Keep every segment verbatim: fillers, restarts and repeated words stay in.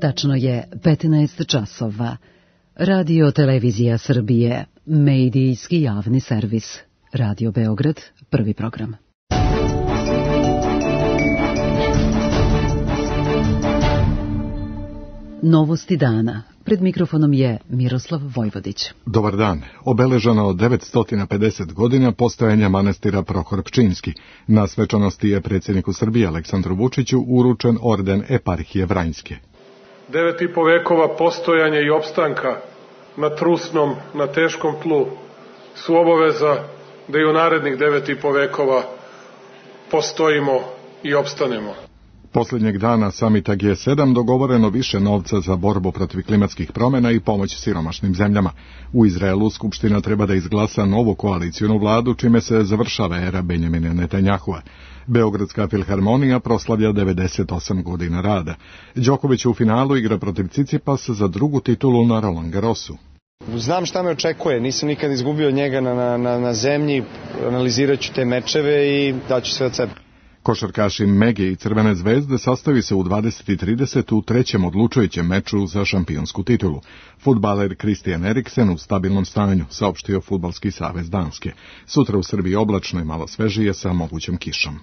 Tačno je petnaest časova. Radio Televizija Srbije, medijski javni servis. Radio Beograd, prvi program. Novosti dana. Pred mikrofonom je Miroslav Vojvodić. Dobar dan. Obeleženo devetsto pedeset godina postojanja manastira Prohor Pčinjski. Na svečanosti je predsjedniku Srbije Aleksandru Vučiću uručen orden Eparhije Vranjske. Devet i po vekova postojanja i opstanka na trusnom, na teškom tlu su obaveza da i u narednih devet i po vekova postojimo i opstanemo. Posljednjeg dana samita G sedam dogovoreno više novca za borbu protiv klimatskih promjena i pomoć siromašnim zemljama. U Izraelu Skupština treba da izglasa novu koalicijonu vladu, čime se završava era Benjamina Netanjahua. Beogradska filharmonija proslavlja devedeset osam godina rada. Đoković u finalu igra protiv Cicipasa za drugu titulu na Roland Garrosu. Znam šta me očekuje, nisam nikad izgubio od njega na, na, na zemlji, analizirat ću te mečeve i daću sve od sebe. Košarkaši Mege i Crvene zvezde sastavi se u dvadeset i trideset u trećem odlučujućem meču za šampionsku titulu. Fudbaler Christian Eriksen u stabilnom stanju, saopštio Fudbalski savez Danske. Sutra u Srbiji oblačno i malo svežije sa mogućom kišom.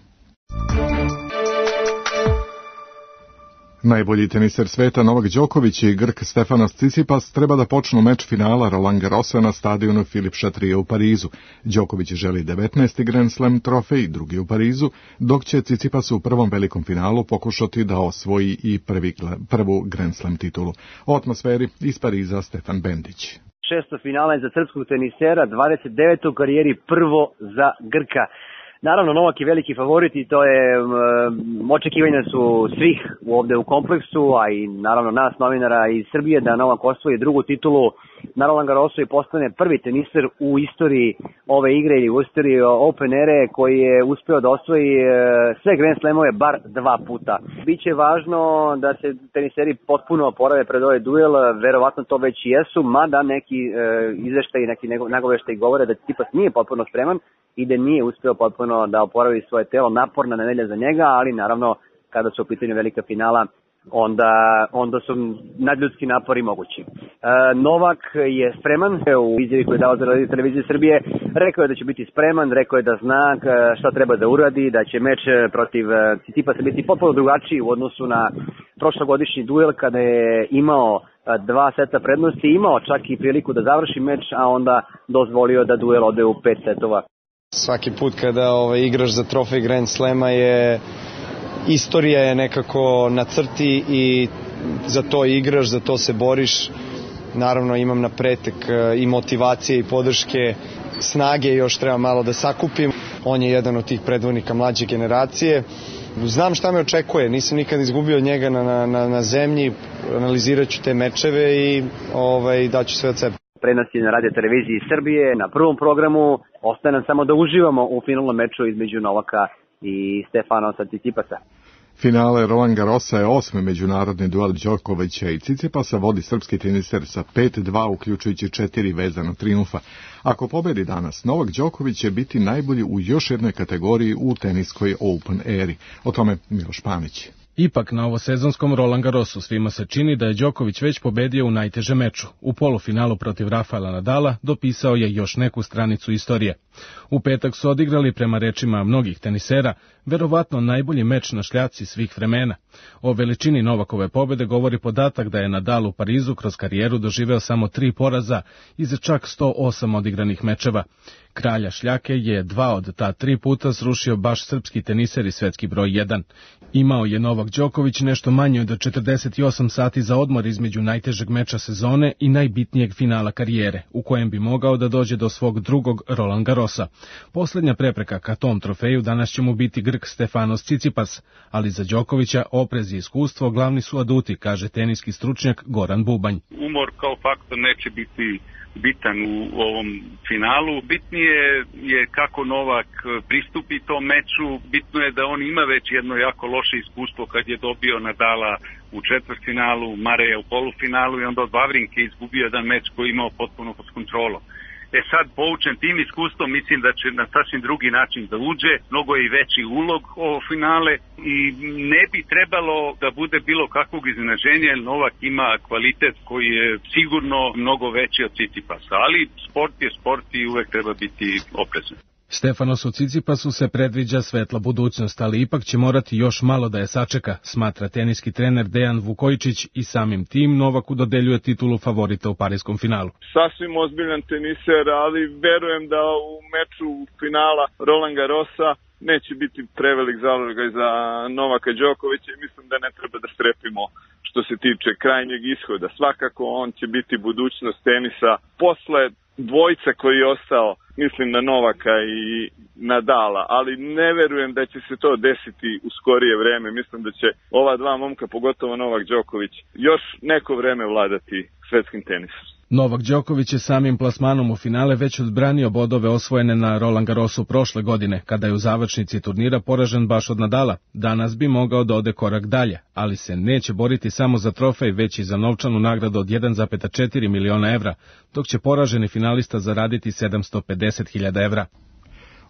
Najbolji teniser sveta Novak Đoković i Grk Stefanos Tsitsipas treba da počnu meč finala Roland Garrosa na stadionu Philippe Chatrier u Parizu. Đoković želi devetnaesti Grand Slam trofej, drugi u Parizu, dok će Tsitsipas u prvom velikom finalu pokušati da osvoji i prvi, prvu Grand Slam titulu. O atmosferi iz Pariza Stefan Bendić. Šesto finala je za srpskog tenisera, dvadeset deveto u karijeri, prvo za Grka. Naravno, Novak je veliki favorit i to je, um, očekivanja su svih ovde u kompleksu, a i naravno nas novinara iz Srbije da Novak osvoji drugu titulu na Roland Garrosu i postane prvi teniser u istoriji ove igre ili u istoriji Open ere koji je uspeo da osvoji sve Grand Slamove bar dva puta. Biće važno da se teniseri potpuno oporave pred ovaj duel, verovatno to već i jesu, mada neki e, izveštaj i neki nagoveštaj govore da Tsitsipas nije potpuno spreman i da nije uspeo potpuno da oporavi svoje telo, naporna nedelja za njega, ali naravno kada su u pitanju velika finala, onda, onda su nadljudski napori mogući. E, Novak je spreman, u izjavi koju je dao za Radio Televiziju Srbije, rekao je da će biti spreman, rekao je da zna šta treba da uradi, da će meč protiv Tsitsipasa biti potpuno drugačiji u odnosu na prošlogodišnji duel kada je imao dva seta prednosti, imao čak i priliku da završi meč, a onda dozvolio da duel ode u pet setova. Svaki put kada ovaj, igraš za trofej Grand Slema je istorija je nekako na crti i za to igraš, za to se boriš. Naravno imam na pretek i motivacije i podrške, snage još treba malo da sakupim. On je jedan od tih predvodnika mlađe generacije. Znam šta me očekuje, nisam nikad izgubio od njega na, na, na zemlji, analizirat ću te mečeve i ovaj, daću sve od sebe. Prenosi na Radio Televiziji Srbije, na prvom programu. Ostaje nam samo da uživamo u finalnom meču između Novaka i Stefanosa Tsitsipasa. Finale Roland Garrosa je osmi međunarodni duel Đokovića i Tsitsipasa, vodi srpski teniser sa pet dva, uključujući četiri vezana trijumfa. Ako pobedi danas, Novak Đoković će biti najbolji u još jednoj kategoriji u teniskoj Open eri. O tome Miloš Panić. Ipak na ovosezonskom Roland Garrosu svima se čini da je Đoković već pobedio u najtežem meču. U polufinalu protiv Rafaela Nadala dopisao je još neku stranicu istorije. U petak su odigrali, prema rečima mnogih tenisera, verovatno najbolji meč na šljaci svih vremena. O veličini Novakove pobede govori podatak da je Nadal u Parizu kroz karijeru doživeo samo tri poraza iz čak sto osam odigranih mečeva. Kralja šljake je dva od ta tri puta srušio baš srpski teniser i svetski broj jedan. Imao je Novak Đoković nešto manje od četrdeset osam sati za odmor između najtežeg meča sezone i najbitnijeg finala karijere, u kojem bi mogao da dođe do svog drugog Roland Garrosa. Posljednja prepreka ka tom trofeju danas će mu biti Grk Stefanos Tsitsipas, ali za Đokovića oprez i iskustvo glavni su aduti, kaže teniski stručnjak Goran Bubanj. Umor kao faktor neće biti bitan u ovom finalu. Bitnije je kako Novak pristupi tom meču, bitno je da on ima već jedno jako loše iskustvo kad je dobio Nadala u četvrtfinalu, Mareja u polufinalu i onda od Vavrinke izgubio jedan meč koji je imao potpuno pod kontrolom. E sad, poučen tim iskustvom, mislim da će na sasvim drugi način da uđe, mnogo je i veći ulog ovo finale i ne bi trebalo da bude bilo kakvog iznenađenja, jer Novak ima kvalitet koji je sigurno mnogo veći od Cicipasa, ali sport je sport i uvek treba biti oprezan. Stefanosu Cicipasu se predviđa svetla budućnost, ali ipak će morati još malo da je sačeka, smatra teniski trener Dejan Vukojičić i samim tim Novaku dodeljuje titulu favorita u parijskom finalu. Sasvim ozbiljan teniser, ali verujem da u meču finala Roland Garrosa neće biti prevelik zalogaj za Novaka Đokovića i mislim da ne treba da strepimo što se tiče krajnjeg ishoda. Svakako on će biti budućnost tenisa posle dvojca koji je ostao, mislim na Novaka i Nadala, ali ne verujem da će se to desiti u skorije vreme. Mislim da će ova dva momka, pogotovo Novak Đoković, još neko vreme vladati svetskim tenisom. Novak Đoković je samim plasmanom u finale već odbranio bodove osvojene na Roland Garrosu prošle godine, kada je u završnici turnira poražen baš od Nadala. Danas bi mogao da ode korak dalje, ali se neće boriti samo za trofej, već i za novčanu nagradu od jedan zarez četiri miliona evra, dok će poraženi finalista zaraditi sedamsto pedeset hiljada evra.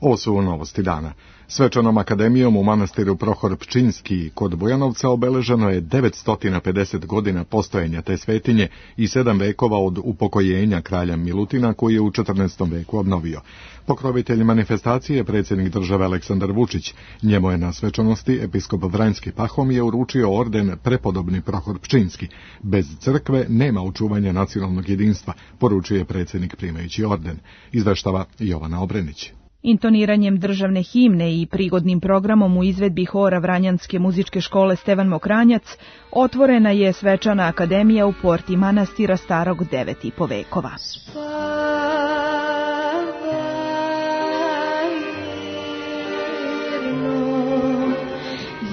Ovo su novosti dana. Svečanom akademijom u manastiru Prohor Pčinjski kod Bujanovca obeleženo je devetsto pedeset godina postojanja te svetinje i sedam vekova od upokojenja kralja Milutina koji je u četrnaestom veku obnovio. Pokrovitelj manifestacije je predsjednik države Aleksandar Vučić. Njemu je na svečanosti episkop Vranjski Pahomije uručio orden prepodobni Prohor Pčinjski. Bez crkve nema očuvanja nacionalnog jedinstva, poručuje predsjednik primajući orden. Izveštava Jovana Obrenić. Intoniranjem državne himne i prigodnim programom u izvedbi hora Vranjanske muzičke škole Stevan Mokranjac otvorena je svečana akademija u porti manastira starog devet i po vekova.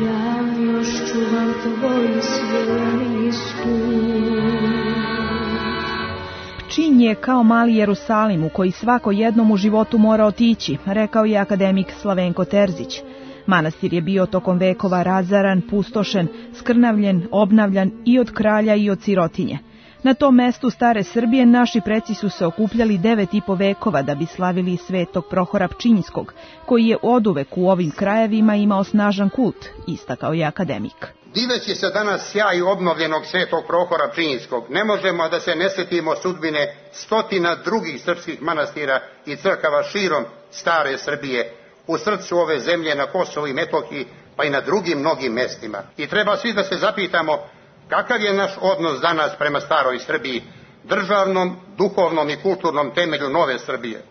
Ja još čuvam tvoj sveni Pčinj je kao mali Jerusalim u koji svako jednom u životu mora otići, rekao je akademik Slavenko Terzić. Manastir je bio tokom vekova razaran, pustošen, skrnavljen, obnavljan i od kralja i od sirotinje. Na tom mestu stare Srbije naši preci su se okupljali devet i po vekova da bi slavili svetog Prohora Pčinjskog, koji je oduvek u ovim krajevima imao snažan kult, istakao je akademik. Diveći se danas sjaj obnovljenog svetog Prohora Pčinjskog, ne možemo da se ne sjetimo sudbine stotina drugih srpskih manastira i crkava širom stare Srbije, u srcu ove zemlje na Kosovu i Metohiji, pa i na drugim mnogim mestima. I treba svi da se zapitamo kakav je naš odnos danas prema staroj Srbiji, državnom, duhovnom i kulturnom temelju nove Srbije.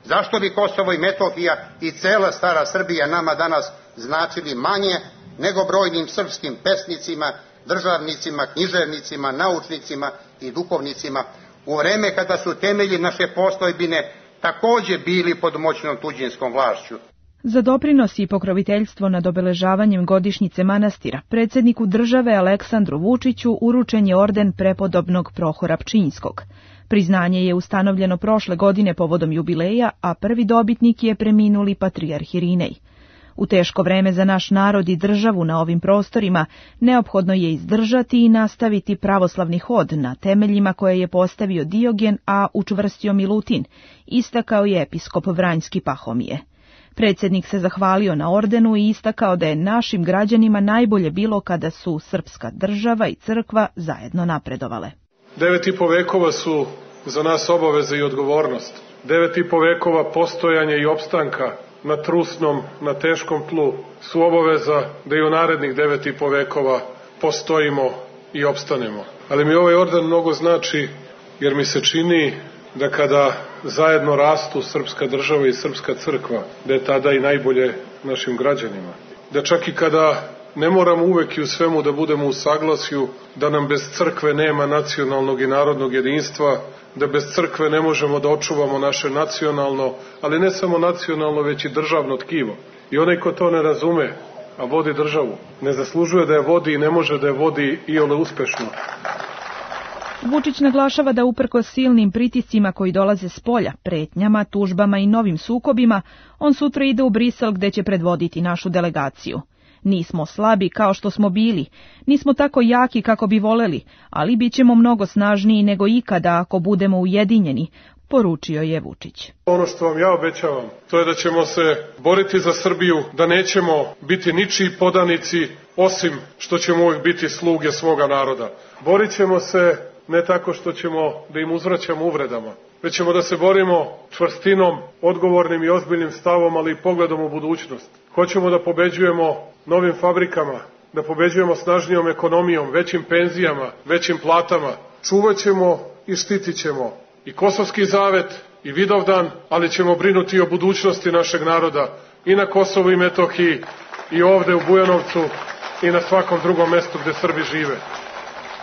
Zašto bi Kosovo i Metohija i cela stara Srbija nama danas značili manje nego brojnim srpskim pesnicima, državnicima, književnicima, naučnicima i duhovnicima u vreme kada su temelji naše postojbine također bili pod moćnom tuđinskom vlašću? Za doprinos i pokroviteljstvo nad obeležavanjem godišnjice manastira, predsjedniku države Aleksandru Vučiću uručen je orden prepodobnog Prohora Pčinjskog. Priznanje je ustanovljeno prošle godine povodom jubileja, a prvi dobitnik je preminuli patrijarh Irinej. U teško vreme za naš narod i državu na ovim prostorima neophodno je izdržati i nastaviti pravoslavni hod na temeljima koje je postavio Diogen, a učvrstio Milutin, istakao je episkop Vranjski Pahomije. Predsjednik se zahvalio na ordenu i istakao da je našim građanima najbolje bilo kada su srpska država i crkva zajedno napredovale. Devet i po vekova su za nas obaveza i odgovornost. Devet i po vekova postojanja i opstanka na trusnom, na teškom tlu su obaveza da i u narednih devet i po vekova postojimo i opstanemo. Ali mi ovaj orden mnogo znači jer mi se čini da kada zajedno rastu srpska država i srpska crkva, da je tada i najbolje našim građanima. Da čak i kada ne moramo uvek i u svemu da budemo u saglasju, da nam bez crkve nema nacionalnog i narodnog jedinstva, da bez crkve ne možemo da očuvamo naše nacionalno, ali ne samo nacionalno, već i državno tkivo. I onaj ko to ne razume, a vodi državu, ne zaslužuje da je vodi i ne može da je vodi iole uspešno. Vučić naglašava da uprkos silnim pritiscima koji dolaze s polja, pretnjama, tužbama i novim sukobima, on sutra ide u Brisel gde će predvoditi našu delegaciju. Nismo slabi kao što smo bili, nismo tako jaki kako bi voleli, ali bit ćemo mnogo snažniji nego ikada ako budemo ujedinjeni, poručio je Vučić. Ono što vam ja obećavam, to je da ćemo se boriti za Srbiju, da nećemo biti ničiji podanici, osim što ćemo uvijek biti sluge svoga naroda. Borit ćemo se ne tako što ćemo da im uzvraćamo uvredama, već ćemo da se borimo čvrstinom, odgovornim i ozbiljnim stavom, ali i pogledom u budućnost. Hoćemo da pobeđujemo novim fabrikama, da pobeđujemo snažnijom ekonomijom, većim penzijama, većim platama. Čuvat ćemo i štitit ćemo i Kosovski zavet i Vidovdan, ali ćemo brinuti o budućnosti našeg naroda i na Kosovu i Metohiji i ovde u Bujanovcu i na svakom drugom mestu gde Srbi žive.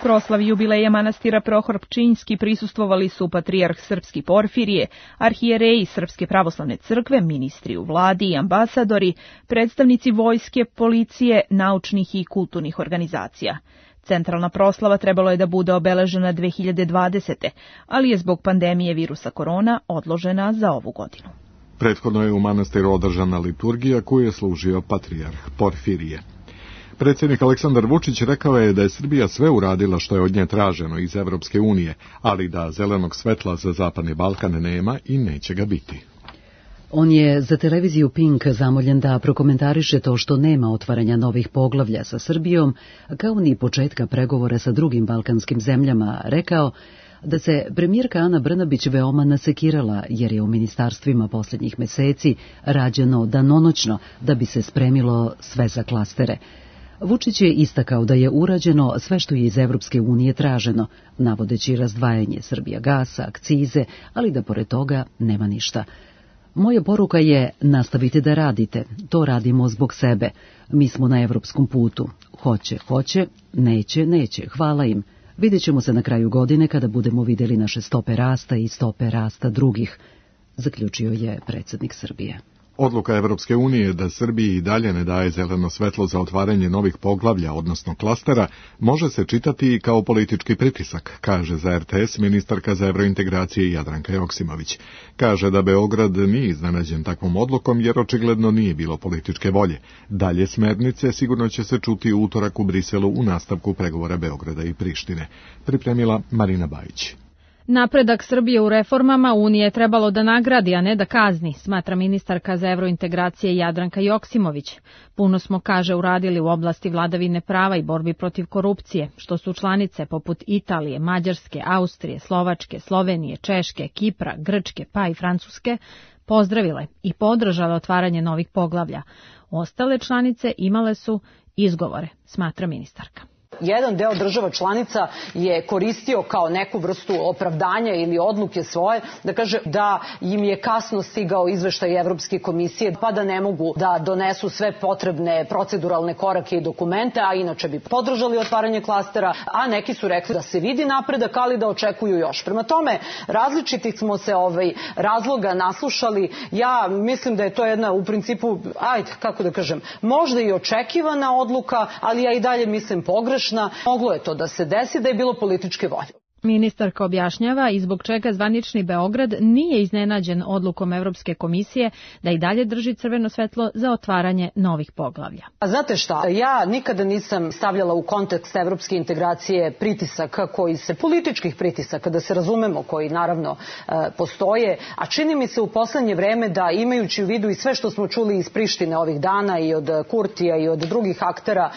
Proslavi jubileja manastira Prohor Pčinjski prisustvovali su patrijarh Srpski Porfirije, arhijereji Srpske pravoslavne crkve, ministri u vladi i ambasadori, predstavnici vojske, policije, naučnih i kulturnih organizacija. Centralna proslava trebalo je da bude obeležena dve hiljade dvadesete. ali je zbog pandemije virusa korona odložena za ovu godinu. Prethodno je u manastiru održana liturgija koju je služio patrijarh Porfirije. Predsjednik Aleksandar Vučić rekao je da je Srbija sve uradila što je od nje traženo iz Evropske unije, ali da zelenog svetla za Zapadni Balkan nema i neće ga biti. On je za televiziju Pink zamoljen da prokomentariše to što nema otvaranja novih poglavlja sa Srbijom, kao ni početka pregovora sa drugim balkanskim zemljama, rekao da se premijerka Ana Brnabić veoma nasekirala jer je u ministarstvima posljednjih meseci rađeno danonoćno da bi se spremilo sve za klastere. Vučić je istakao da je urađeno sve što je iz Evropske unije traženo, navodeći razdvajanje Srbija gasa, akcize, ali da pored toga nema ništa. Moja poruka je nastavite da radite, to radimo zbog sebe. Mi smo na evropskom putu. Hoće, hoće, neće, neće, hvala im. Vidjet ćemo se na kraju godine kada budemo vidjeli naše stope rasta i stope rasta drugih, zaključio je predsjednik Srbije. Odluka Evropske unije da Srbiji i dalje ne daje zeleno svetlo za otvaranje novih poglavlja, odnosno klastera, može se čitati i kao politički pritisak, kaže za R T S ministarka za evrointegracije Jadranka Joksimović. Kaže da Beograd nije iznenađen takvom odlukom jer očigledno nije bilo političke volje. Dalje smernice sigurno će se čuti u utorak u Briselu u nastavku pregovora Beograda i Prištine. Pripremila Marina Bajić. Napredak Srbije u reformama Unije je trebalo da nagradi, a ne da kazni, smatra ministarka za evrointegracije Jadranka Joksimović. Puno smo, kaže, uradili u oblasti vladavine prava i borbi protiv korupcije, što su članice poput Italije, Mađarske, Austrije, Slovačke, Slovenije, Češke, Kipra, Grčke pa i Francuske pozdravile i podržale otvaranje novih poglavlja. Ostale članice imale su izgovore, smatra ministarka. Jedan deo država članica je koristio kao neku vrstu opravdanja ili odluke svoje, da kaže da im je kasno stigao izveštaj Evropske komisije, pa da ne mogu da donesu sve potrebne proceduralne korake i dokumente, a inače bi podržali otvaranje klastera, a neki su rekli da se vidi napredak, ali da očekuju još. Prema tome, različitih smo se ovaj, razloga naslušali. Ja mislim da je to jedna, u principu, ajde, kako da kažem, možda i očekivana odluka, ali ja i dalje mislim pogrešna. Moglo je to da se desi da je bilo političke volje. Ministarka objašnjava i zbog čega zvanični Beograd nije iznenađen odlukom Evropske komisije da i dalje drži crveno svetlo za otvaranje novih poglavlja. A znate šta, ja nikada nisam stavljala u kontekst evropske integracije pritisaka koji se, političkih pritisaka, da se razumemo, koji naravno postoje, a čini mi se u poslednje vreme da imajući u vidu i sve što smo čuli iz Prištine ovih dana i od Kurtija i od drugih aktera,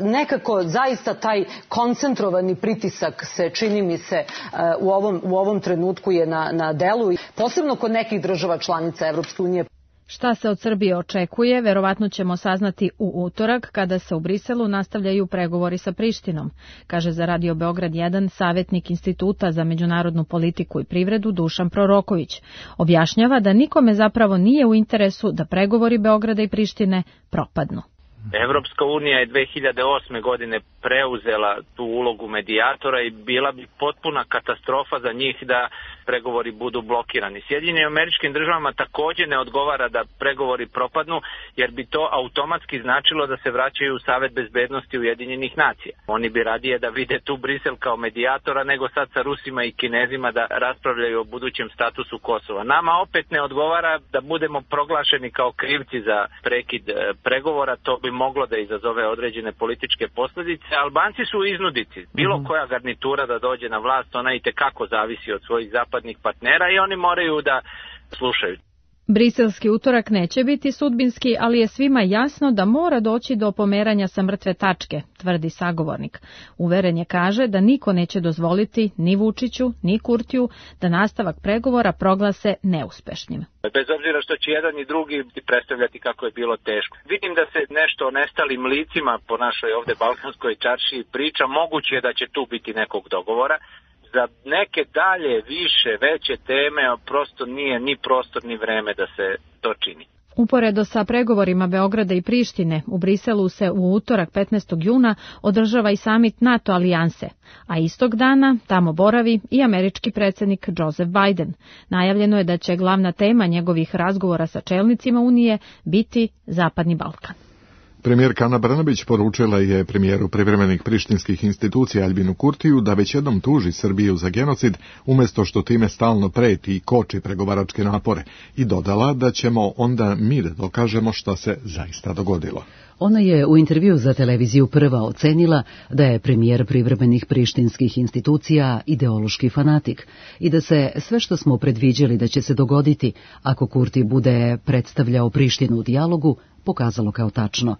nekako zaista taj koncentrovani pritisak se čini mi se se u ovom, u ovom trenutku je na, na delu, posebno kod nekih država članica Evropske unije. Šta se od Srbije očekuje, verovatno ćemo saznati u utorak kada se u Briselu nastavljaju pregovori sa Prištinom, kaže za Radio Beograd jedan savjetnik Instituta za međunarodnu politiku i privredu Dušan Proroković. Objašnjava da nikome zapravo nije u interesu da pregovori Beograda i Prištine propadnu. Evropska unija je dve hiljade osme. godine preuzela tu ulogu medijatora i bila bi potpuna katastrofa za njih da pregovori budu blokirani. Sjedinjenim Američkim Državama također ne odgovara da pregovori propadnu, jer bi to automatski značilo da se vraćaju u Savet bezbednosti Ujedinjenih nacija. Oni bi radije da vide tu Brisel kao medijatora nego sad sa Rusima i Kinezima da raspravljaju o budućem statusu Kosova. Nama opet ne odgovara da budemo proglašeni kao krivci za prekid pregovora, to bi moglo da izazove određene političke posljedice. Albanci su iznudici. Bilo koja garnitura da dođe na vlast, ona i tekako zavisi od svojih zapadnih zapadnih partnera i oni moraju da slušaju. Briselski utorak neće biti sudbinski, ali je svima jasno da mora doći do pomeranja sa mrtve tačke, tvrdi sagovornik. Uveren je, kaže, da niko neće dozvoliti ni Vučiću, ni Kurtiju da nastavak pregovora proglase neuspešnim. Bez obzira što će jedan i drugi predstavljati kako je bilo teško. Vidim da se nešto o nestalim licima po našoj ovde balkanskoj čaršiji priča, moguće je da će tu biti nekog dogovora. Za neke dalje, više, veće teme prosto nije ni prostor ni vreme da se to čini. Uporedo sa pregovorima Beograda i Prištine, u Briselu se u utorak petnaestog juna održava i samit NATO alijanse, a istog dana tamo boravi i američki predsjednik Joseph Biden. Najavljeno je da će glavna tema njegovih razgovora sa čelnicima Unije biti Zapadni Balkan. Premijerka Ana Brnabić poručila je premijeru privremenih prištinskih institucija Aljbinu Kurtiju da već jednom tuži Srbiju za genocid, umjesto što time stalno preti i koči pregovaračke napore, i dodala da ćemo onda mi da dokažemo šta se zaista dogodilo. Ona je u intervju za televiziju Prva ocenila da je premijer privremenih prištinskih institucija ideološki fanatik i da se sve što smo predviđali da će se dogoditi ako Kurti bude predstavljao Prištinu u dijalogu pokazalo kao tačno.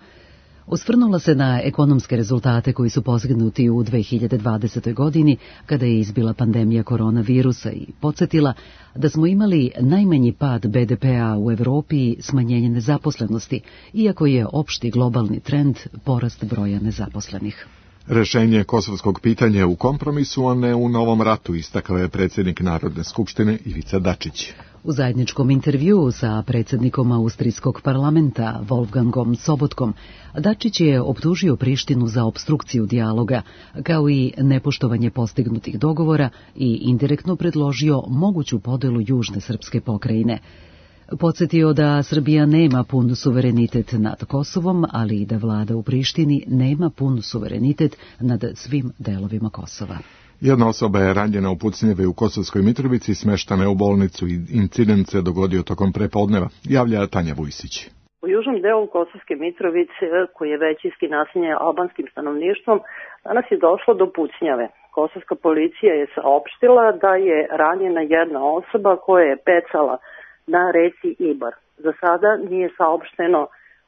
Osvrnula se na ekonomske rezultate koji su postignuti u dve hiljade dvadesetoj. godini kada je izbila pandemija koronavirusa i podsjetila da smo imali najmanji pad be de pea u Evropi i smanjenje nezaposlenosti, iako je opšti globalni trend porast broja nezaposlenih. Rešenje kosovskog pitanja u kompromisu, a ne u novom ratu, istakao je predsjednik Narodne skupštine Ivica Dačić. U zajedničkom intervjuu sa predsjednikom Austrijskog parlamenta Wolfgangom Sobotkom, Dačić je optužio Prištinu za opstrukciju dijaloga, kao i nepoštovanje postignutih dogovora i indirektno predložio moguću podelu južne srpske pokrajine. Podsjetio da Srbija nema pun suverenitet nad Kosovom, ali i da vlada u Prištini nema pun suverenitet nad svim delovima Kosova. Jedna osoba je ranjena u pucnjeve u Kosovskoj Mitrovici, smeštana je u bolnicu i incident se dogodio tokom prepodneva, javlja Tanja Vujsić. U južnom delu Kosovske Mitrovice, koji je većinski naseljen albanskim stanovništvom, danas je došlo do pucnjave. Kosovska policija je saopštila da je ranjena jedna osoba koja je pecala na reci Ibar. Za sada nije saopšteno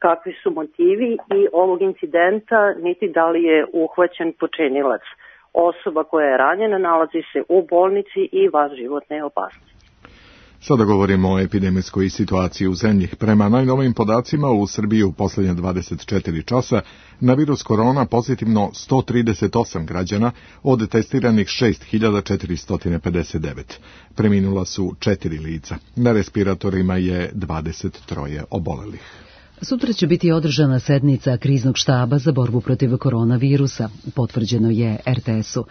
kakvi su motivi i ovog incidenta, niti da li je uhvaćen počinilac. Osoba koja je ranjena nalazi se u bolnici i van životne opasnosti. Sada govorimo o epidemijskoj situaciji u zemlji. Prema najnovijim podacima, u Srbiji u posljednje dvadeset četiri časa na virus korona pozitivno sto trideset osam građana od testiranih šest hiljada četiristo pedeset devet. Preminula su četiri lica. Na respiratorima je dvadeset troje obolelih. Sutra će biti održana sednica kriznog štaba za borbu protiv koronavirusa, potvrđeno je er te esu.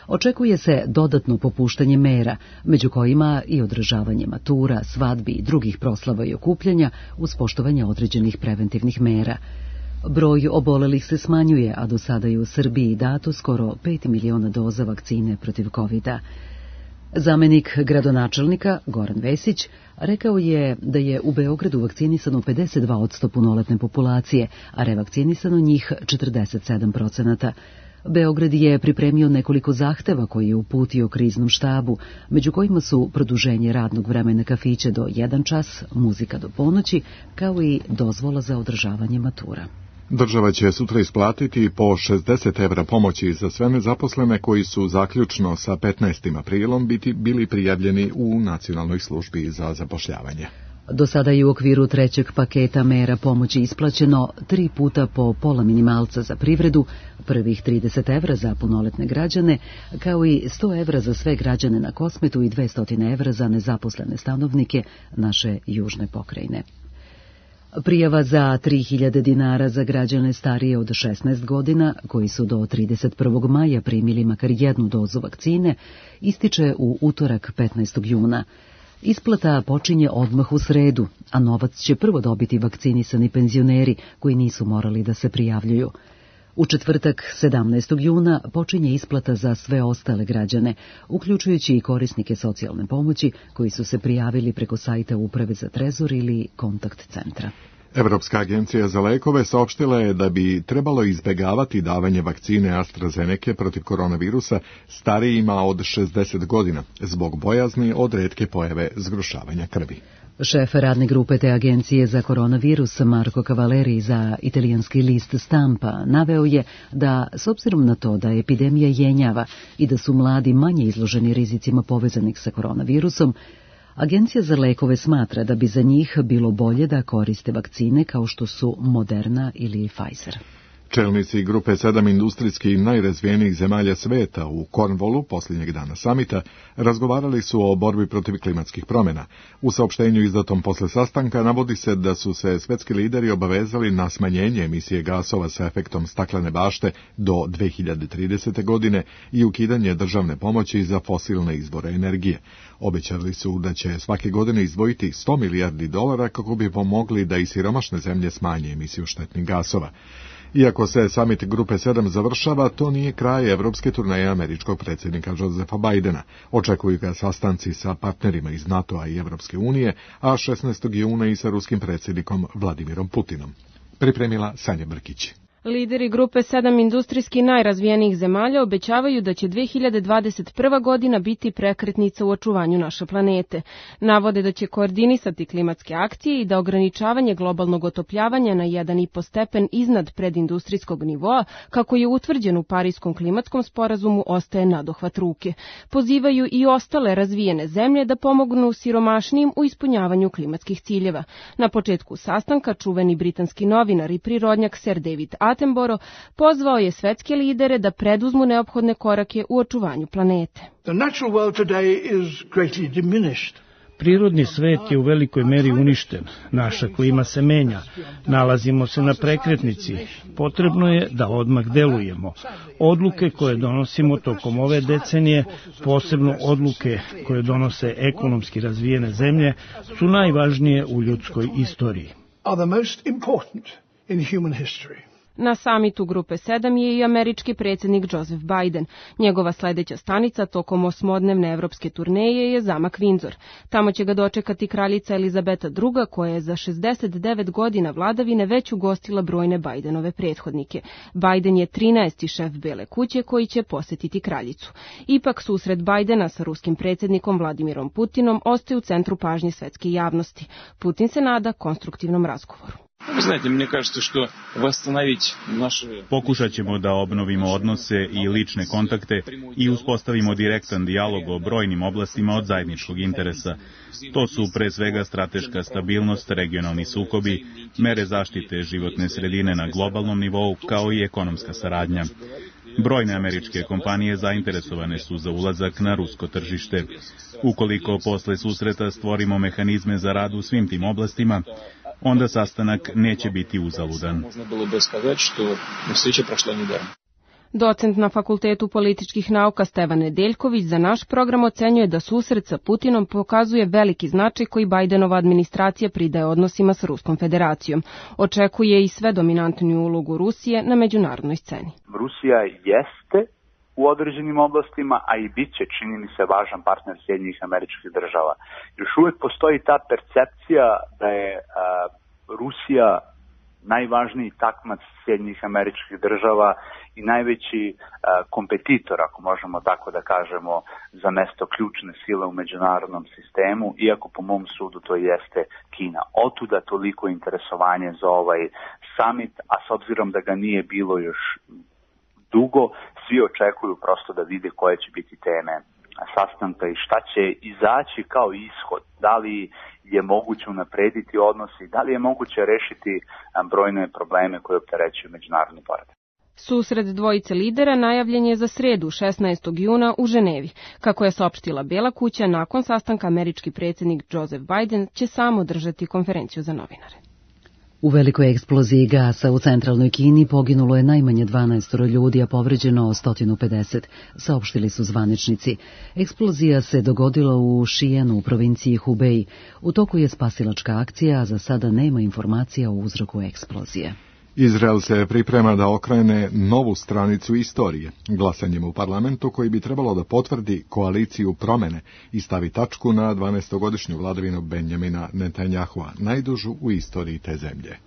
Očekuje se dodatno popuštanje mera, među kojima i održavanje matura, svadbi i drugih proslava i okupljanja uz poštovanje određenih preventivnih mera. Broj obolelih se smanjuje, a do sada je u Srbiji dato skoro pet miliona doza vakcine protiv kovida. Zamenik gradonačelnika, Goran Vesić, rekao je da je u Beogradu vakcinisano pedeset dva posto punoletne populacije, a revakcinisano njih četrdeset sedam procenata. Beograd je pripremio nekoliko zahteva koje je uputio kriznom štabu, među kojima su produženje radnog vremena kafića do jedan čas, muzika do ponoći, kao i dozvola za održavanje matura. Država će sutra isplatiti po šezdeset evra pomoći za sve nezaposlene koji su zaključno sa petnaestim aprilom biti bili prijavljeni u Nacionalnoj službi za zapošljavanje. Do sada je u okviru trećeg paketa mera pomoći isplaćeno tri puta po pola minimalca za privredu, prvih trideset evra za punoletne građane, kao i sto evra za sve građane na Kosmetu i dvesta evra za nezaposlene stanovnike naše južne pokrajine. Prijava za tri hiljade dinara za građane starije od šesnaest godina, koji su do trideset prvog maja primili makar jednu dozu vakcine, ističe u utorak petnaestog juna. Isplata počinje odmah u sredu, a novac će prvo dobiti vakcinisani penzioneri koji nisu morali da se prijavljuju. U četvrtak sedamnaestog juna počinje isplata za sve ostale građane, uključujući i korisnike socijalne pomoći koji su se prijavili preko sajta Uprave za trezor ili kontakt centra. Evropska agencija za lekove saopštila je da bi trebalo izbegavati davanje vakcine AstraZeneca protiv koronavirusa starijima od šezdeset godina, zbog bojazni od retke pojave zgrušavanja krvi. Šef radne grupe te agencije za koronavirus Marco Cavaleri za italijanski list Stampa naveo je da, s obzirom na to da epidemija jenjava i da su mladi manje izloženi rizicima povezanih sa koronavirusom, Agencija za lekove smatra da bi za njih bilo bolje da koriste vakcine kao što su Moderna ili Pfizer. Čelnici grupe sedam industrijski najrazvijenijih zemalja sveta u Cornwallu posljednjeg dana samita razgovarali su o borbi protiv klimatskih promjena. U saopštenju izdatom posle sastanka navodi se da su se svetski lideri obavezali na smanjenje emisije gasova sa efektom staklene bašte do dve hiljade tridesete. godine i ukidanje državne pomoći za fosilne izvore energije. Obećali su da će svake godine izdvojiti sto milijardi dolara kako bi pomogli da i siromašne zemlje smanje emisiju štetnih gasova. Iako se samit grupe sedam završava, to nije kraj evropske turneje američkog predsjednika Josefa Bidena. Očekuju ga sastanci sa partnerima iz NATO-a i Evropske unije, a šesnaestog juna i sa ruskim predsjednikom Vladimirom Putinom. Pripremila Sanja Brkić. Lideri grupe sedam industrijski najrazvijenijih zemalja obećavaju da će dve hiljade dvadeset prva. godina biti prekretnica u očuvanju naše planete. Navode da će koordinisati klimatske akcije i da ograničavanje globalnog otopljavanja na jedan i po stepen iznad predindustrijskog nivoa, kako je utvrđen u Parijskom klimatskom sporazumu, ostaje nadohvat ruke. Pozivaju i ostale razvijene zemlje da pomognu siromašnijim u ispunjavanju klimatskih ciljeva. Na početku sastanka čuveni britanski novinar i prirodnjak Sir David Attenborough pozvao je svetske lidere da preduzmu neophodne korake u očuvanju planete. Prirodni svet je u velikoj meri uništen, naša klima se menja, nalazimo se na prekretnici, potrebno je da odmah delujemo. Odluke koje donosimo tokom ove decenije, posebno odluke koje donose ekonomski razvijene zemlje, su najvažnije u ljudskoj istoriji. Na samitu grupe sedam je i američki predsjednik Joseph Biden. Njegova sljedeća stanica tokom osmodnevne evropske turneje je zamak Windsor. Tamo će ga dočekati kraljica Elizabeta druga. koja je za šezdeset devet godina vladavine već ugostila brojne Bidenove prethodnike. Biden je trinaesti šef Bele kuće koji će posjetiti kraljicu. Ipak susret Bidena sa ruskim predsjednikom Vladimirom Putinom ostaje u centru pažnje svetske javnosti. Putin se nada konstruktivnom razgovoru. Znate, meni kažete što восстановить naše... Pokušat ćemo da obnovimo odnose i lične kontakte i uspostavimo direktan dijalog o brojnim oblastima od zajedničkog interesa. To su pre svega strateška stabilnost, regionalni sukobi, mere zaštite životne sredine na globalnom nivou, kao i ekonomska saradnja. Brojne američke kompanije zainteresovane su za ulazak na rusko tržište. Ukoliko posle susreta stvorimo mehanizme za rad u svim tim oblastima, onda sastanak neće biti uzaludan. Docent na Fakultetu političkih nauka Stevan Nedeljković za naš program ocenjuje da susret sa Putinom pokazuje veliki značaj koji Bidenova administracija pridaje odnosima sa Ruskom federacijom. Očekuje i sve dominantniju ulogu Rusije na međunarodnoj sceni. Rusija jeste u određenim oblastima, a i bit će, čini mi se, važan partner Sjedinjenih Američkih Država. Još uvijek postoji ta percepcija da je a, Rusija najvažniji takmac Sjedinjenih Američkih Država i najveći a, kompetitor, ako možemo tako da kažemo, za mesto ključne sile u međunarodnom sistemu, iako po mom sudu to jeste Kina. Otuda toliko interesovanje za ovaj summit, a s obzirom da ga nije bilo još dugo, svi očekuju prosto da vide koje će biti teme sastanka i šta će izaći kao ishod. Da li je moguće unaprediti odnosi, da li je moguće rešiti brojne probleme koje opterećuju međunarodni poredak. Susret dvojice lidera najavljen je za sredu šesnaestog juna u Ženevi. Kako je saopštila Bela kuća, nakon sastanka američki predsjednik Joseph Biden će sam održati konferenciju za novinare. U velikoj eksploziji gasa u centralnoj Kini poginulo je najmanje dvanaest ljudi, a povređeno sto pedeset, saopštili su zvaničnici. Eksplozija se dogodila u Šijenu u provinciji Hubei. U toku je spasilačka akcija, a za sada nema informacija o uzroku eksplozije. Izrael se priprema da okrene novu stranicu istorije, glasanjem u parlamentu koji bi trebalo da potvrdi koaliciju promene i stavi tačku na dvanaestogodišnju vladavinu Benjamina Netanjahua, najdužu u istoriji te zemlje.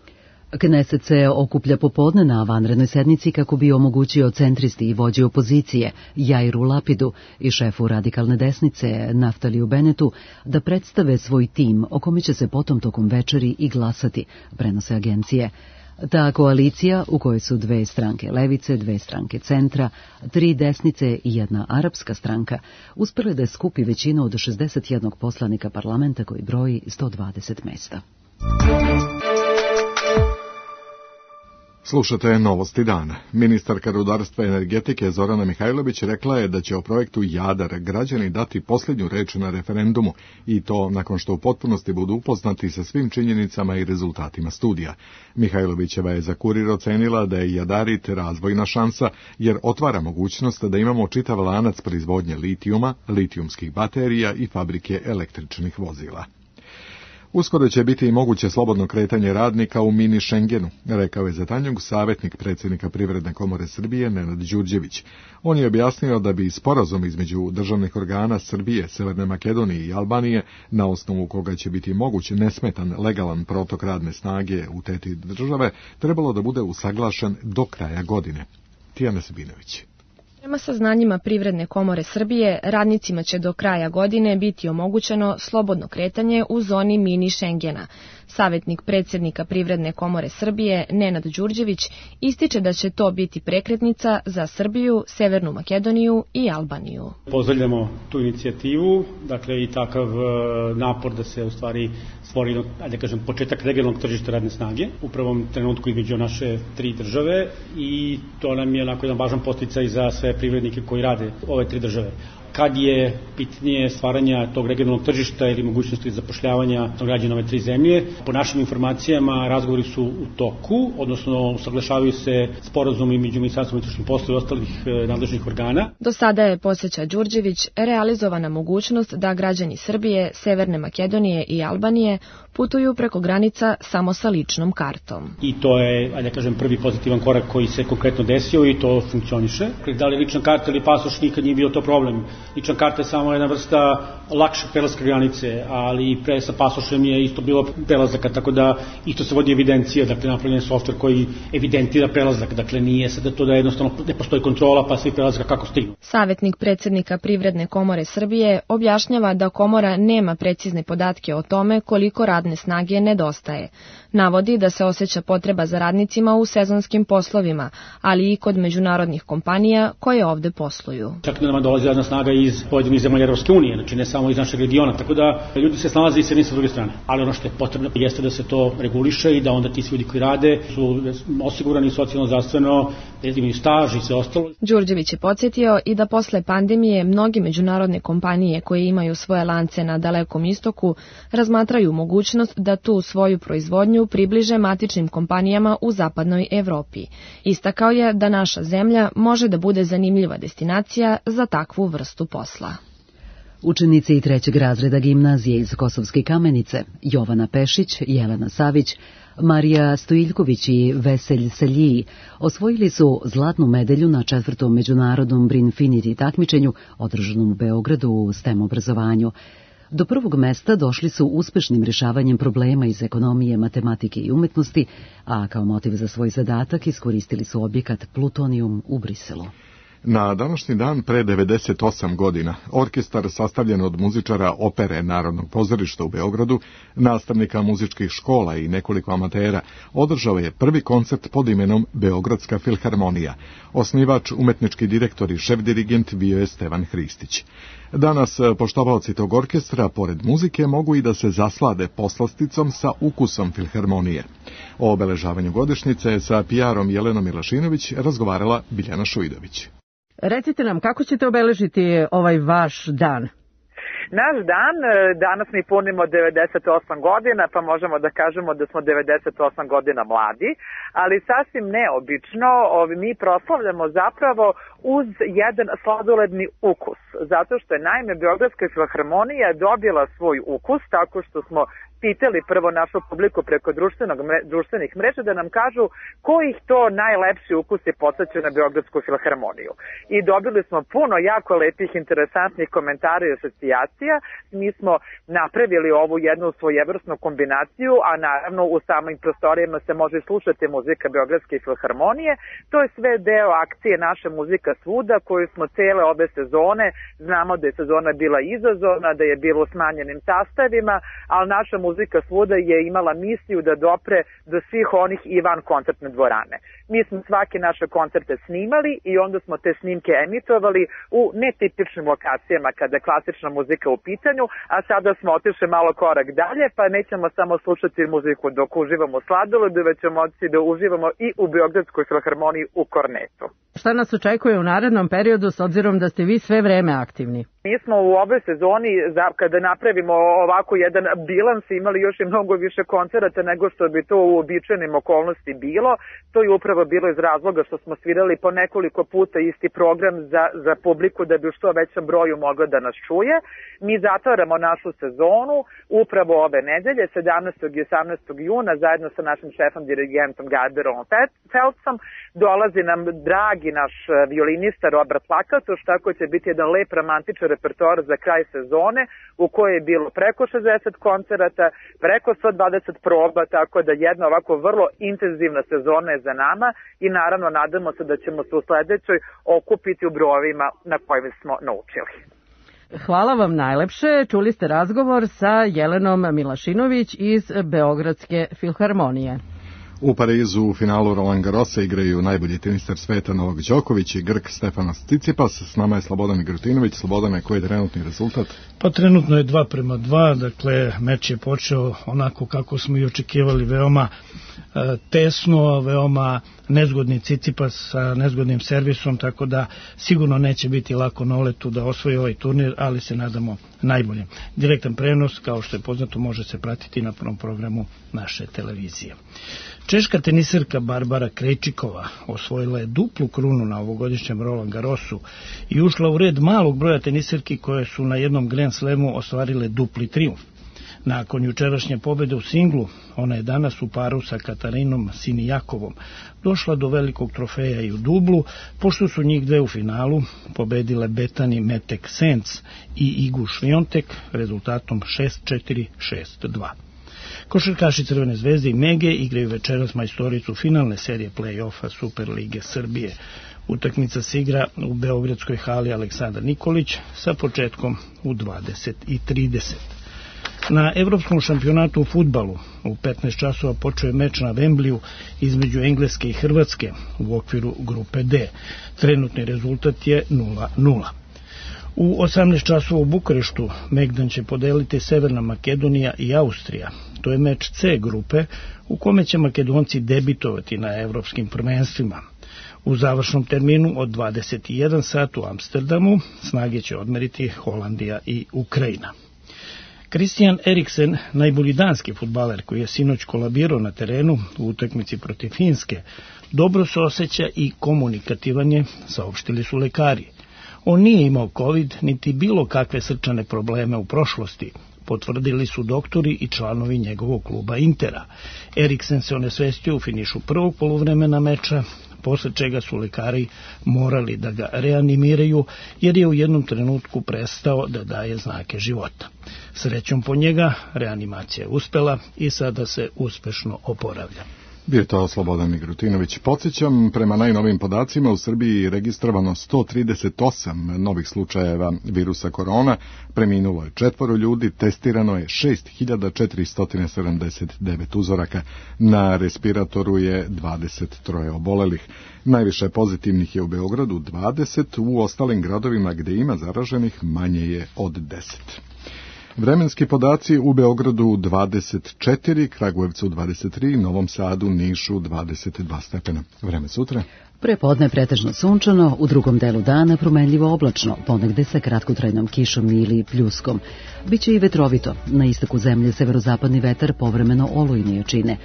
Kneset se okuplja popodne na vanrednoj sednici kako bi omogućio centristi i vođi opozicije Jairu Lapidu i šefu radikalne desnice Naftaliju Benetu da predstave svoj tim o kome će se potom tokom večeri i glasati, prenose agencije. Ta koalicija, u kojoj su dve stranke levice, dve stranke centra, tri desnice i jedna arapska stranka, uspjela da skupi većinu od šezdeset jednog poslanika parlamenta koji broji sto dvadeset mesta. Slušate Novosti dana. Ministarka rudarstva i energetike Zorana Mihajlović rekla je da će o projektu Jadar građani dati posljednju reč na referendumu i to nakon što u potpunosti budu upoznati sa svim činjenicama i rezultatima studija. Mihajlovićeva je za Kurir ocenila da je Jadarit razvojna šansa jer otvara mogućnost da imamo čitav lanac proizvodnje litijuma, litijumskih baterija i fabrike električnih vozila. Uskoro će biti i moguće slobodno kretanje radnika u mini Schengenu, rekao je za Tanjug savjetnik predsjednika Privredne komore Srbije Nenad Đurđević. On je objasnio da bi sporazum između državnih organa Srbije, Severne Makedonije i Albanije, na osnovu koga će biti moguć nesmetan legalan protok radne snage u te tri države, trebalo da bude usaglašen do kraja godine. Tijana Sabinović. Prema saznanjima Privredne komore Srbije, radnicima će do kraja godine biti omogućeno slobodno kretanje u zoni mini Schengena. Savjetnik predsjednika Privredne komore Srbije, Nenad Đurđević, ističe da će to biti prekretnica za Srbiju, Severnu Makedoniju i Albaniju. Pozdravljamo tu inicijativu, dakle i takav napor da se u stvari stvori, da kažem, početak regionalnog tržišta radne snage u prvom trenutku između naše tri države i to nam je onako jedan važan podsticaj za sve privrednike koji rade ove tri države. Kad je pitanje stvaranja tog regionalnog tržišta ili mogućnosti zapošljavanja građana ove tri zemlje, po našim informacijama razgovori su u toku, odnosno usaglašavaju se sporazumi među Ministarstvom unutrašnjih poslova i ostalih nadležnih organa. Do sada je, podsjeća Đurđević, realizovana mogućnost da građani Srbije, Severne Makedonije i Albanije putuju preko granica samo sa ličnom kartom. I to je, ajde kažem, prvi pozitivan korak koji se konkretno desio i to funkcioniše. Da li lična karta ili pasoš, nikad nije bio to problem. Lična karta je samo jedna vrsta lakšeg prelaska granice, ali pre sa pasošem je isto bilo prelazaka, tako da isto se vodi evidencija, dakle napravljen je softver koji evidentira prelazak, dakle nije sada to da jednostavno ne postoji kontrola pa svi prelazaka kako stignu. Savjetnik predsjednika Privredne komore Srbije objašnjava da komora nema precizne podatke o tome koliko radne snage nedostaje. Navodi da se osjeća potreba za radnicima u sezonskim poslovima, ali i kod međunarodnih kompanija koje ovde posluju. Čak da nama dolazi radna snaga iz pojedinih zemalja Evropske unije, znači ne samo iz našeg regiona, tako da ljudi se snalaze i s jedne i s druge strane. Ali ono što je potrebno jeste da se to reguliše i da onda ti svi ljudi koji rade su osigurani socijalno, zdravstveno, da imaju staž i sve ostalo. Đurđević je podsjetio i da posle pandemije mnogi međunarodne kompanije koje imaju svoje lance na Dalekom istoku razmatraju mogućnost da tu svoju proizvodnju približe matičnim kompanijama u zapadnoj Evropi. Istakao je da naša zemlja može da bude zanimljiva destinacija za takvu vrstu posla. Učenici trećeg razreda gimnazije iz Kosovske Kamenice, Jovana Pešić, Jelena Savić, Marija Stojiljković i Veselj Seljiji osvojili su zlatnu medalju na četvrtom međunarodnom Brinfinity takmičenju održanom u Beogradu u STEM obrazovanju. Do prvog mesta došli su uspešnim rješavanjem problema iz ekonomije, matematike i umetnosti, a kao motiv za svoj zadatak iskoristili su objekat Plutonijum u Briselu. Na današnji dan pre devedeset osam godina orkestar sastavljen od muzičara opere Narodnog pozorišta u Beogradu, nastavnika muzičkih škola i nekoliko amatera održao je prvi koncert pod imenom Beogradska filharmonija. Osnivač, umetnički direktor i šef dirigent bio je Stevan Hristić. Danas poštovaoci tog orkestra, pored muzike, mogu i da se zaslade poslasticom sa ukusom filharmonije. O obeležavanju godišnjice sa P R-om Jelenom Milašinović razgovarala Biljana Šuidović. Recite nam, kako ćete obeležiti ovaj vaš dan? Naš dan, danas mi punimo devedeset osam godina, pa možemo da kažemo da smo devedeset osam godina mladi, ali sasvim neobično, mi proslavljamo zapravo uz jedan sladoledni ukus, zato što je naime Beogradska filharmonija dobila svoj ukus tako što smo pitali prvo našu publiku preko društvenog, društvenih mreža da nam kažu kojih to najlepši ukusi podsjećaju na Beogradsku filharmoniju. I dobili smo puno jako lepih, interesantnih komentara i asocijacija. Mi smo napravili ovu jednu svojevrsnu kombinaciju, a naravno u samim prostorijama se može slušati muzika Beogradske filharmonije. To je sve deo akcije Naša muzika svuda, koju smo cele ove sezone, znamo da je sezona bila izazovna, da je bilo smanjenim sastavima, ali Naša muzika svuda je imala misiju da dopre do svih onih i van koncertne dvorane. Mi smo svake naše koncerte snimali i onda smo te snimke emitovali u netipičnim lokacijama kada je klasična muzika u pitanju, a sada smo otišli malo korak dalje, pa nećemo samo slušati muziku dok uživamo u sladolodu, već ćemo otići da uživamo i u Beogradskoj filharmoniji u Kornetu. Šta nas očekuje u narednom periodu s obzirom da ste vi sve vreme aktivni? Mi smo u ovoj sezoni, kada napravimo ovako jedan bilans, imali još i mnogo više koncerata nego što bi to u običajnim okolnosti bilo. To je upravo bilo iz razloga što smo svirali po nekoliko puta isti program za, za publiku da bi u što većem broju mogla da nas čuje. Mi zatvaramo našu sezonu upravo ove nedelje, sedamnaestog i osamnaestog juna, zajedno sa našim šefom dirigentom Garberom Felcom. Dolazi nam dragi naš violinista Robert Lakatoš, tako će biti jedan lep romantičan repertoar za kraj sezone u kojoj je bilo preko šezdeset koncerata, preko sto dvadeset proba, tako da jedna ovako vrlo intenzivna sezona je za nama i naravno nadamo se da ćemo se u sledećoj okupiti u brojevima na kojima smo naučili. Hvala vam najlepše. Čuli ste razgovor sa Jelenom Milašinović iz Beogradske filharmonije. U Parizu u finalu Roland Garrosa igraju najbolji teniser sveta Novak Đoković i Grk Stefanos Tsitsipas. S nama je Slobodan Migrutinović. Slobodane, koji je trenutni rezultat? Pa trenutno je dva prema dva, dakle meč je počeo onako kako smo i očekivali, veoma e, tesno, veoma nezgodni Tsitsipas sa nezgodnim servisom, tako da sigurno neće biti lako na Oletu da osvoji ovaj turnir, ali se nadamo najbolje. Direktan prenos, kao što je poznato, može se pratiti na prvom programu naše televizije. Češka teniserka Barbara Krejčikova osvojila je duplu krunu na ovogodišnjem Roland Garrosu i ušla u red malog broja teniserki koje su na jednom Grand Slamu ostvarile dupli trijumf. Nakon jučerašnje pobede u singlu, ona je danas u paru sa Katarinom Sinijakovom došla do velikog trofeja i u dublu, pošto su njih dve u finalu pobedile Betani Metek Senc i Igu Šviontek rezultatom šest četiri šest dva. Košarkaši Crvene zvezde i Mege igraju večeras majstoricu finalne serije play-offa Super lige Srbije. Utakmica se igra u beogradskoj hali Aleksandar Nikolić sa početkom u dvadeset i trideset. Na evropskom šampionatu u fudbalu u petnaest časova počeo je meč na Vembliju između Engleske i Hrvatske u okviru grupe D. Trenutni rezultat je nula nula. U osamnaest časova u Bukureštu Megdan će podeliti Severna Makedonija i Austrija. To je meč C grupe u kome će Makedonci debitovati na evropskim prvenstvima. U završnom terminu od dvadeset i jedan sat u Amsterdamu snage će odmeriti Holandija i Ukrajina. Christian Eriksen, najbolji danski fudbaler koji je sinoć kolabirao na terenu u utakmici protiv Finske, dobro se osjeća i komunikativan je, saopštili su lekari. On nije imao COVID niti bilo kakve srčane probleme u prošlosti, potvrdili su doktori i članovi njegovog kluba Intera. Eriksen se onesvestio u finišu prvog poluvremena meča, posle čega su lekari morali da ga reanimiraju, jer je u jednom trenutku prestao da daje znake života. Srećom po njega, reanimacija je uspela i sada se uspešno oporavlja. Bio je to Slobodan Migrutinović. Podsjećam, prema najnovim podacima u Srbiji je registrovano sto trideset osam novih slučajeva virusa korona, preminulo je četvoro ljudi, testirano je šest hiljada četiristo sedamdeset devet uzoraka, na respiratoru je dvadeset tri obolelih. Najviše pozitivnih je u Beogradu dvadeset, u ostalim gradovima gde ima zaraženih manje je od deset. Vremenski podaci: u Beogradu dvadeset četiri, Kragujevcu dvadeset tri, Novom Sadu, Nišu dvadeset dva stepena. Vreme sutra. Prepodne pretežno sunčano, u drugom delu dana promenljivo oblačno, ponegde sa kratkotrajnom kišom ili pljuskom. Biće i vetrovito, na istoku zemlje severozapadni vetar povremeno olujne jačine.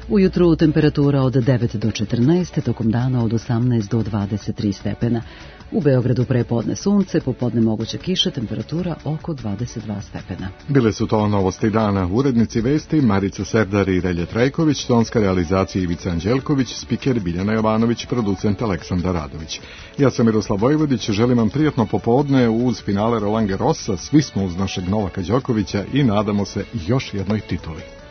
Ujutru temperatura od devet do četrnaest, tokom dana od osamnaest do dvadeset tri stepena. U Beogradu prepodne sunce, popodne moguće kiše, temperatura oko dvadeset dva stepena. Bile su to novosti dana. Urednici vesti Marica Serdar i Relje Trajković, tonska realizacija Ivica Anđelković, spiker Biljana Jovanović, producent Aleksandar Radović. Ja sam Miroslav Vojvodić, želim vam prijatno popodne uz finale Roland Garrosa, svi smo uz našeg Novaka Đokovića i nadamo se još jednoj tituli.